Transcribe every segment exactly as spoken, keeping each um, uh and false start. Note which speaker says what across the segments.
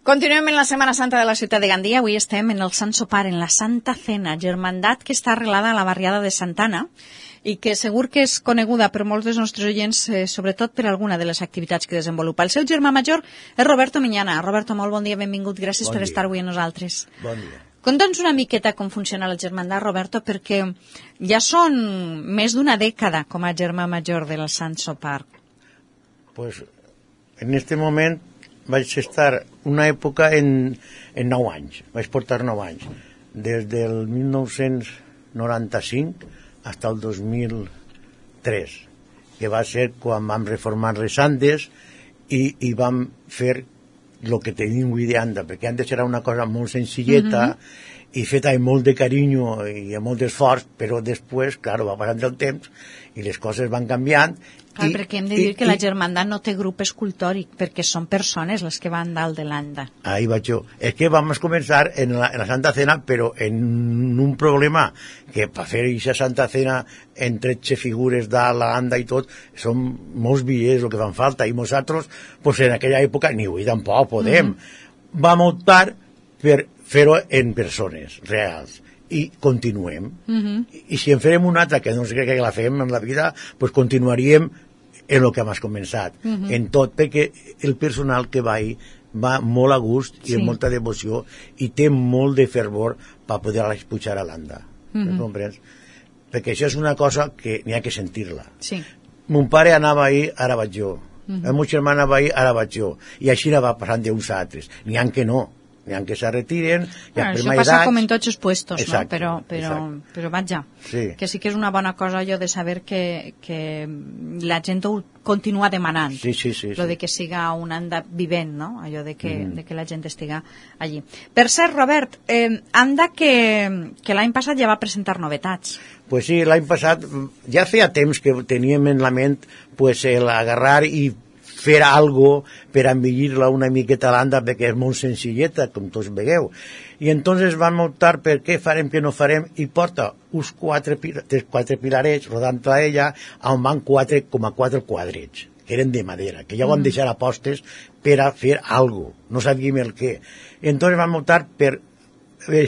Speaker 1: Continuem en la Setmana Santa de la ciutat de Gandia. Avui estem en el Sant Sopar, en la Santa Cena, germandat que està arrelada a la barriada de Santana i que segur que és coneguda per molts dels nostres oients, eh, sobretot per alguna de les activitats que desenvolupa. El seu germà major és Roberto Miñana. Roberto, molt bon dia, benvingut. Gràcies
Speaker 2: bon
Speaker 1: per
Speaker 2: dia.
Speaker 1: estar avui amb nosaltres.
Speaker 2: Bon dia.
Speaker 1: Conta'ns una miqueta com funciona la germandat, Roberto, perquè ja són més d'una dècada com a germà major del Sant Sopar.
Speaker 2: Pues en este moment vaig estar una època en, en nou anys, vaig portar nou anys, des del mil nou-cents noranta-cinc fins al dos mil tres, que va ser quan vam reformar les Andes i, i vam fer el que tenim avui d'anda, perquè antes era una cosa molt senzilleta, mm-hmm. i feta amb molt de carinyo i amb molt d'esforç, però després, clar, va passant el temps i les coses van canviant.
Speaker 1: Clar,
Speaker 2: I,
Speaker 1: perquè hem de
Speaker 2: i,
Speaker 1: dir que la
Speaker 2: i,
Speaker 1: germandat no té grup escultòric, perquè són persones les que van dalt de l'anda.
Speaker 2: Ahí vaig jo. És que vam començar en la, en la Santa Cena, però en un problema que per fer aquesta Santa Cena en tretze figures dalt, l'anda i tot, són molts bitllets el que fan falta, i nosaltres, pues en aquella època, ni avui tampoc podem, mm-hmm. vam optar per fer-ho en persones reals. I continuem. Mm-hmm. I, I si en farem una altra, que no sé què la fem en la vida, pues continuaríem en el que hem començat. Mm-hmm. En tot, perquè el personal que va ahí va molt a gust i sí. amb molta devoció i té molt de fervor per poder pujar a l'anda. Mm-hmm. Comprens? Perquè això és una cosa que n'hi ha que sentir-la. Sí. Mon pare anava ahí, ara vaig jo. Mm-hmm. El meu germà anava ahí, ara vaig jo. I així va passant d'uns a altres. N'hi ha que no. N'hi ha que se retiren, ja
Speaker 1: bueno,
Speaker 2: per
Speaker 1: això passa
Speaker 2: edats.
Speaker 1: com en tots els puestos,
Speaker 2: exacte,
Speaker 1: no? Però, però, però vaja,
Speaker 2: sí.
Speaker 1: que sí que és una bona cosa allò de saber que, que la gent ho continua demanant.
Speaker 2: Sí, sí, sí.
Speaker 1: Lo
Speaker 2: sí.
Speaker 1: de que siga un anda vivent, no? Allò de que, mm. de que la gent estiga allí. Per cert, Robert, eh, anda que, que l'any passat ja va presentar novetats.
Speaker 2: Pues sí, l'any passat ja feia temps que teníem en la ment pues, el agarrar i fer algo per embellir-la una miqueta a l'anda, perquè és molt senzilleta, com tots vegueu. I entonces vam optar per què farem, què no farem, i porta uns quatre, quatre pilarets rodant-la ella, on van quatre coma quatre quadrets, que eren de madera, que ja ho vam mm. deixar a postes per a fer algo, no sabíem el què. I entonces vam optar per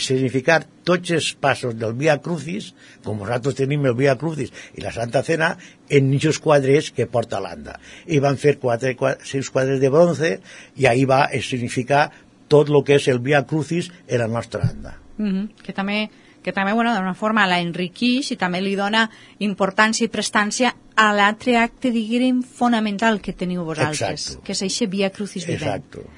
Speaker 2: significar tots els passos del Via Crucis, com nosaltres tenim el Via Crucis i la Santa Cena, en aquests quadres que porta l'anda. I van fer quatre, quatre, sis quadres de bronze i ahí va significar tot el que és el Via Crucis en la nostra anda.
Speaker 1: Mm-hmm. Que també, que també bueno, d'una forma la enriqueix i també li dona importància i prestància a l'altre acte, diguem, fonamental que teniu vosaltres, exacto. Que és aquest Via Crucis vivent.
Speaker 2: Exacto.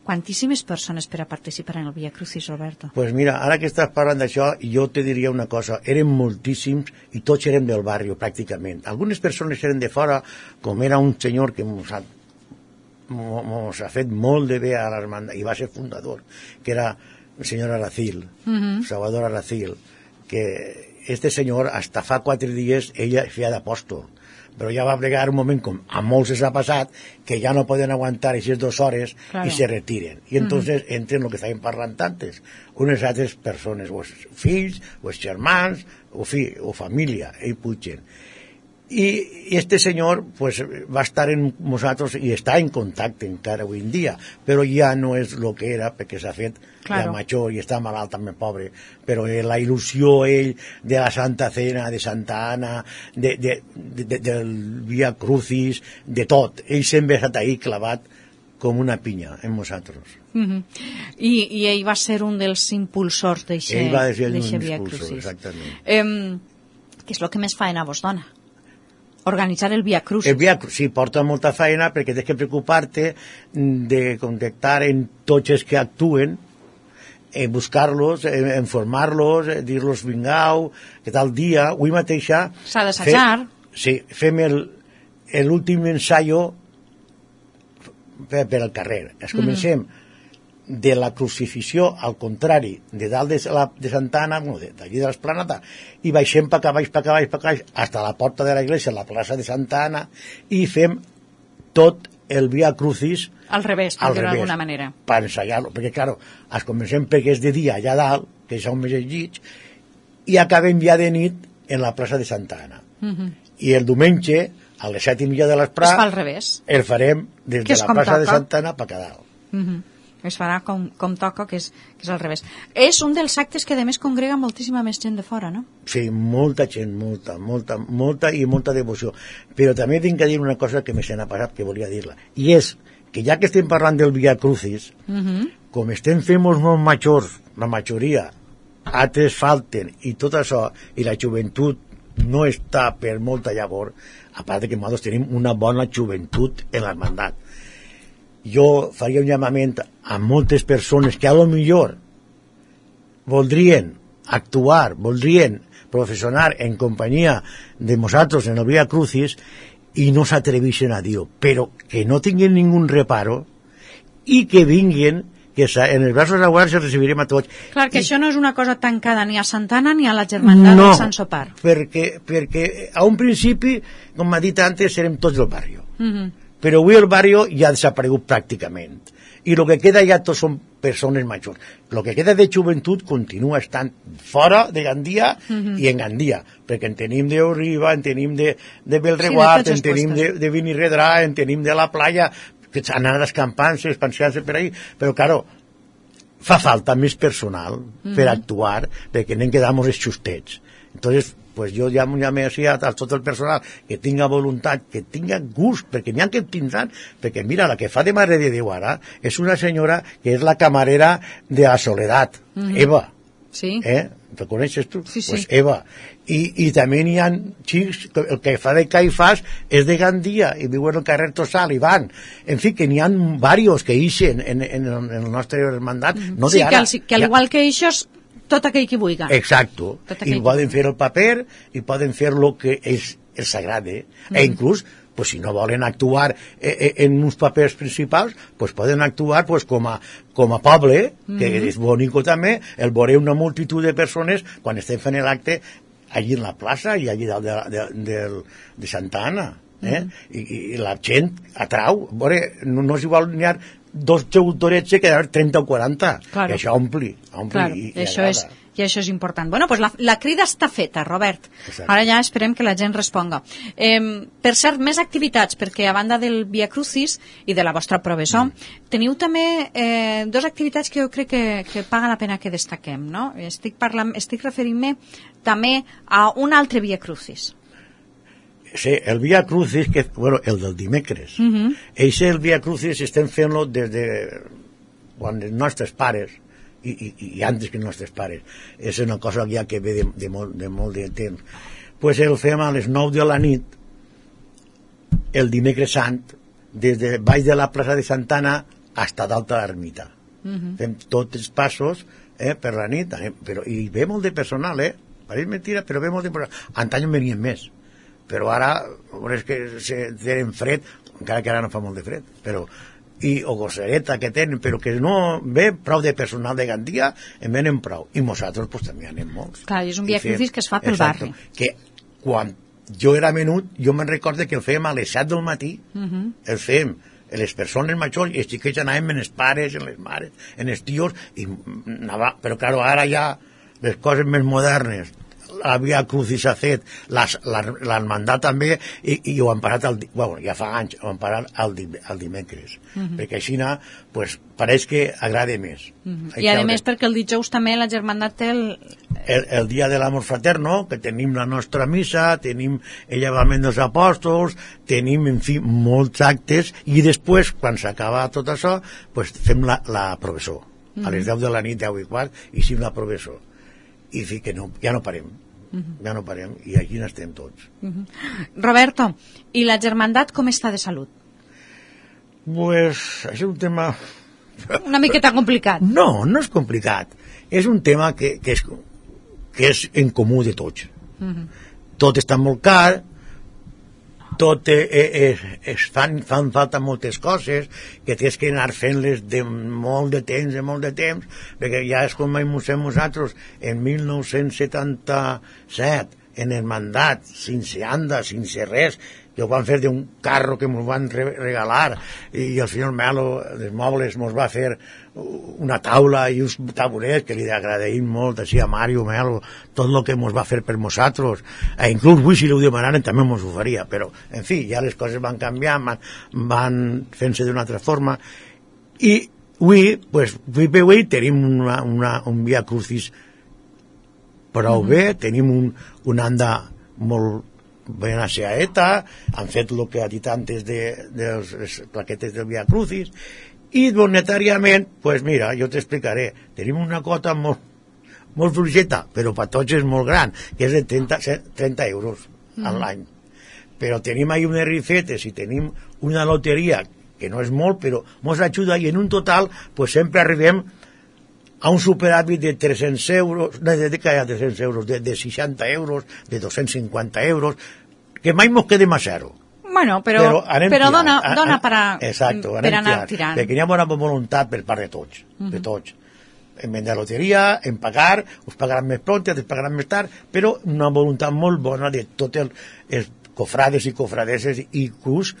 Speaker 1: Quantíssimes persones per a participar en el Via Crucis, Roberto?
Speaker 2: Pues mira, ara que estàs parlant d'això, jo te diria una cosa, eren moltíssims i tots eren del barri, pràcticament. Algunes persones eren de fora, com era un senyor que mos ha, mos ha fet molt de bé a l'hermandad, i va ser fundador, que era el senyor Aracil, mm-hmm. Salvador Aracil, que este senyor, hasta fa quatre dies, ella feia d'apòstol, però ja va plegar un moment, com a molts es ha passat, que ja no poden aguantar aquestes dues hores claro. I se retiren. I entonces uh-huh. entren el que estàvem parlant antes, unes altres persones, o els fills, o els germans, o, fi, o família, ells pugen. I, i este senyor pues, va estar en nosaltres i està en contacte encara avui en dia, però ja no és el que era, perquè s'ha fet claro. Ja major i està malalt també pobre, però eh, la il·lusió ell de la Santa Cena, de Santa Anna, de, de, de, de, del Via Crucis, de tot, ell sempre ha estat ahí clavat com una pinya en nosaltres.
Speaker 1: Mm-hmm. I, I ell va ser un dels impulsors d'eixe Via Crucis.
Speaker 2: Exactament.
Speaker 1: Eh, què és el que més faena vos dona? Organitzar el Via Crucis.
Speaker 2: El Via Crucis, sí, porta molta feina perquè tens que preocupar-te de contactar en tots els que actuen, eh, buscar-los, eh, informar-los, eh, dir-los vingau, que tal dia, avui mateixa...
Speaker 1: S'ha d'assajar.
Speaker 2: Sí, fem l'últim ensaio per, per al carrer. Es comencem mm. de la crucifixió, al contrari, de dalt de, la, de Santa Anna, no, d'allí de l'Esplanada, i baixem per acá, baix, per acá, baix, per acá, hasta la porta de la iglesia, la plaça de Santa Anna, i fem tot el Via Crucis
Speaker 1: al revés, per dir-ho d'alguna manera.
Speaker 2: Per ensaiar-lo, perquè, claro, es comencem perquè és de dia allà dalt, que són més llits, i acabem ja de nit en la plaça de Santa Anna. Uh-huh. I el diumenge, a les set i mitja de l'esprà,
Speaker 1: es fa al revés.
Speaker 2: El farem des de la plaça toca? de Santa Anna per a dalt.
Speaker 1: Uh-huh. es farà com, com toca, que és, que és al revés. És un dels actes que a més congrega moltíssima més gent de fora, no?
Speaker 2: Sí, molta gent, molta, molta, molta i molta devoció. Però també tinc que dir una cosa que me se n'ha passat, que volia dir-la, i és que ja que estem parlant del Via Crucis, uh -huh. com estem fent molt majors, la majoria, altres falten, i tot això, i la joventut no està per molta llavor, a part que nosaltres tenim una bona joventut en l'hermandat. Jo faria un llamament a moltes persones que a lo millor voldrien actuar, voldrien professionar en companyia de nosaltres en el Via Crucis i no s'atreveixen a dir-ho, però que no tinguin ningú reparo i que vinguin, que en els braços aguards els recibirem a tots.
Speaker 1: Clar, que I... això no és una cosa tancada ni a Santana ni a la Germandat
Speaker 2: no,
Speaker 1: del Sant Sopar.
Speaker 2: perquè, perquè a un principi, com m'ha dit antes, serem tots del barri. Uh
Speaker 1: -huh.
Speaker 2: Però avui el barri ja ha desaparegut pràcticament. I el que queda ja tots són persones majors. El que queda de joventut continua estant fora de Gandia uh -huh. i en Gandia, perquè en tenim d'Orriba, en tenim de, de Belreguard, sí, en tenim de, de Vinirredrà, en tenim de la playa, que han anat escampant-se, expansiant-se per ahí, però, claro, fa falta més personal uh -huh. per actuar, perquè anem quedamos els justets. Entonces, pues jo ja m'he asiat a tot el personal que tinga voluntat, que tinga gust, perquè n'hi ha que tindran, perquè mira, la que fa de Mare de Déu ara és una senyora que és la camarera de la Soledat, uh -huh. Eva.
Speaker 1: Sí.
Speaker 2: Eh? Te coneixes tu?
Speaker 1: Sí, sí.
Speaker 2: Pues Eva. I, i també n'hi ha xics, el que fa de Caifàs és de Gandia i viuen al carrer Tossal i van. En fi, que n'hi ha diversos que ixen en, en, en el nostre hermandat, uh -huh. no
Speaker 1: sí,
Speaker 2: de ara.
Speaker 1: Sí, que al igual que eixos, tot aquell que vulgui.
Speaker 2: Exacto. I poden fer el paper i poden fer el que és el sagrada. Mm. E inclús, pues, si no volen actuar eh, en uns papers principals, pues, poden actuar pues, com, a, com a poble, mm. que és bonico també, el veure una multitud de persones quan estem fent l'acte allí en la plaça i allí dalt de, de, de, de Santa Anna. Eh? Mm. I, I la gent atrau. Veure, no, no és igual n'hi ha dos xeutorets que d'haver trenta o quaranta, claro. Que això ompli, ompli
Speaker 1: claro,
Speaker 2: i, i
Speaker 1: això és, i això és important. Bueno, pues la, la crida està feta, Robert. Exacte. Ara ja esperem que la gent responga. Eh, per cert, més activitats, perquè a banda del Via Crucis i de la vostra professor, mm. teniu també eh, dues activitats que jo crec que, que paga la pena que destaquem, no? Estic, parlant, estic referint-me també a un altre Via Crucis.
Speaker 2: Sí, el Via Crucis, que, bueno, el del dimecres. Uh -huh. Eixe, el Via Crucis, estem fent-lo des de quan els nostres pares, i, i, i antes que els nostres pares. És una cosa ja que ve de, de, molt, de molt de temps. Pues el fem a les nou de la nit, el dimecres sant, des de baix de la plaça de Santana hasta dalt de l'ermita. Uh -huh. Fem tots els passos eh, per la nit, eh, però, i ve molt de personal, eh? Pareix mentira, però ve molt de personal. Antany en venien més. Però ara, és que se tenen fred, encara que ara no fa molt de fred, però, i, o gossereta que tenen, però que no ve prou de personal de Gandia, en venen prou. I nosaltres, pues, també anem molts.
Speaker 1: Clar, és un Via Crucis que es fa pel
Speaker 2: exacto,
Speaker 1: barri.
Speaker 2: Que quan jo era menut, jo me'n recordo que el fèiem a les set del matí, uh -huh. el fèiem les persones majors, i els xiquets anàvem en els pares, en les mares, en els tios, i anava, però, claro, ara ja les coses més modernes, la Via Crucis s'ha fet, l'hermandat també, i, i ho han parat, el, bueno, ja fa anys, ho han parat el, el dimecres, uh -huh. perquè així, pues, pareix que agrada més.
Speaker 1: Uh -huh. I a més perquè el dijous també la germandat té el...
Speaker 2: El, el dia de l'amor fraterno, que tenim la nostra missa, tenim el llevament dels apòstols, tenim, en fi, molts actes, i després, quan s'acaba tot això, pues, fem la, la professó. Uh -huh. A les deu de la nit, deu i quart, i sim la professó. I sí que no, ja no parem. Uh -huh. Ja no parem, i aquí n'estem tots.
Speaker 1: Uh -huh. Roberto, i la germandat com està de salut?
Speaker 2: Pues, és un tema...
Speaker 1: Una miqueta complicat.
Speaker 2: No, no és complicat. És un tema que, que, és, que és en comú de tots. Uh -huh. Tot està molt car, tot eh, eh, es fan, fan falta moltes coses que tens que anar fent-les de molt de temps, de molt de temps, perquè ja és com ens fem nosaltres en mil nou-cents setanta-set, en el mandat, sense anda, sense res, que ho van fer d'un carro que ens van re regalar, i el senyor Melo dels mobles ens va fer una taula i uns taburets que li agraïm molt així a Mario Melo, tot el que ens va fer per nosaltres, e inclús avui si li ho demanaren també ens ho faria, però en fi, ja les coses van canviant, van, van fent-se d'una altra forma, i avui, pues, avui per avui tenim una, una, un Via Crucis prou mm-hmm. bé, tenim un, un anda molt ben asseaeta, han fet el que ha dit antes de, de les plaquetes del Via Crucis, i monetàriament, pues mira, jo t'explicaré, tenim una cota molt, molt fluixeta, però per tots és molt gran, que és de trenta, trenta euros mm. a l'any. Però tenim ahí unes rifetes i tenim una loteria, que no és molt, però ens ajuda, i en un total, pues sempre arribem a un superàvit de tres-cents euros, no, de, de, de tres-cents euros, de, de seixanta euros, de dos-cents cinquanta euros, que mai ens quedem a zero.
Speaker 1: Bueno, però, però, però dona, dona per, a,
Speaker 2: exacto,
Speaker 1: per anar tirant.
Speaker 2: Perquè hi ha bona voluntat per part de tots, uh-huh. de tots. En vendre loteria, en pagar, us pagaran més pront, us pagaran més tard, però una voluntat molt bona de tots els, els cofrades i cofradeses, i inclús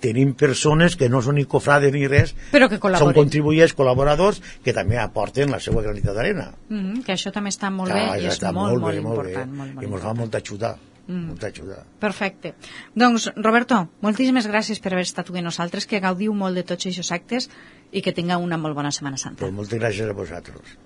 Speaker 2: tenim persones que no són ni cofrades ni res,
Speaker 1: però que
Speaker 2: són contribuents, col·laboradors, que també aporten la seva granitat d'arena.
Speaker 1: Mm-hmm, que això també està molt bé i és molt, molt, molt, molt important. Molt, molt
Speaker 2: I ens fa molta ajuda. Mm. Molta ajuda.
Speaker 1: Perfecte. Doncs, Roberto, moltíssimes gràcies per haver estat amb nosaltres, que gaudiu molt de tots aquests actes i que tingueu una molt bona Setmana Santa.
Speaker 2: Pues moltes gràcies a vosaltres.